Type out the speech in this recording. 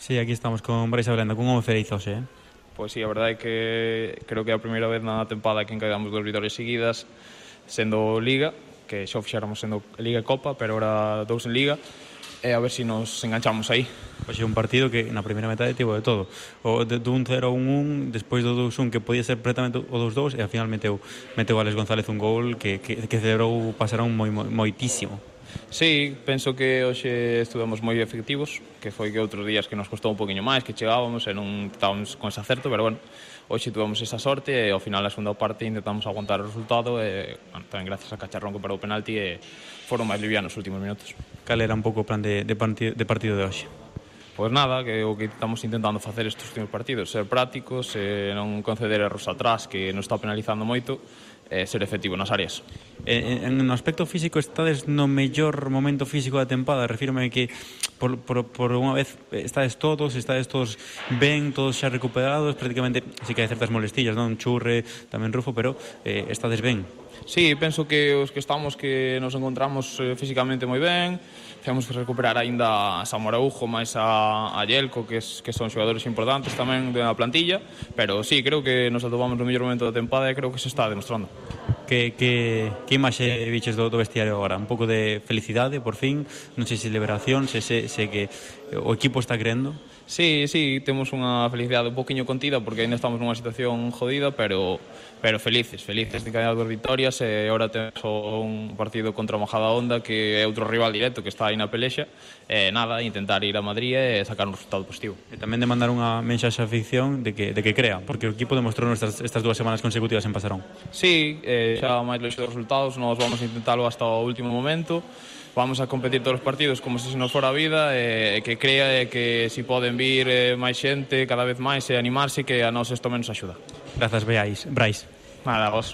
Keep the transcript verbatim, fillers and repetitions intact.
Sí, aquí estamos con Brais Ablenda, cun home feliz hoxe, eh? Pois sí, a verdade é que creo que é a primeira vez na tempada que encaidamos dúas vitorias seguidas, sendo Liga, que xa o fixéramos sendo Liga e Copa, pero ahora dous en Liga, e a ver se si nos enganchamos aí. Pois é un partido que na primeira metade tivo de todo. O de, de un cero a un un, despois do dous un que podía ser pretamente o dos dous, e ao final meteu, meteu Alex González un gol que, que, que celebrou pasarán moi, moi, moitísimo. Sí, penso que hoxe estuvemos moi efectivos, que foi que outros días que nos costou un poquinho máis, que chegábamos e non estábamos con ese acerto, pero bueno, hoxe tuvemos esa sorte e ao final a segunda parte intentamos aguantar o resultado e bueno, tamén gracias a Cacharrón que parou o penalti e foron máis livianos os últimos minutos. Cal era un pouco o plan de, de, partido, de partido de hoxe? Pois nada, que o que estamos intentando facer estes últimos partidos, ser prácticos, e non conceder erros atrás que nos está penalizando moito, e ser efectivo nas áreas. En, en no aspecto físico estades no mellor momento físico da tempada, refírome que por, por, por unha vez estades todos, estades todos ben, todos xa recuperados, prácticamente sí que hai certas molestillas, non? Churre, tamén Rufo, pero eh, estades ben. Sí, penso que os que estamos que nos encontramos eh, físicamente moi ben. Temos que recuperar aínda a Samu Araújo máis a, a Yelko, que, es, que son xogadores importantes tamén da plantilla, pero sí, creo que nos atopamos no mellor momento da tempada e creo que se está demostrando. Que, que, que imaxe viches do, do vestiario agora? Un pouco de felicidade, por fin, non sei se liberación, se, se, se que o equipo está creendo. Sí, sí, temos unha felicidade un poquinho contida porque ainda estamos nunha situación jodida, pero pero felices, felices de caer dos vitorias e agora temos un partido contra o Majadahonda que é outro rival directo que está aí na pelexa e nada, intentar ir a Madrid e sacar un resultado positivo. E tamén de mandar unha mensaxe á afición de que, de que crea, porque o equipo demostrou estas, estas dúas semanas consecutivas en Pasarón. Sí, eh, xa máis longe dos resultados, nós vamos a intentarlo hasta o último momento. Vamos a competir todos os partidos como se nos fora a vida e que crea e que si poden vir eh, máis xente cada vez máis e animarse que a nós isto menos axuda. Grazas, Brais. Brais. Nada, vos.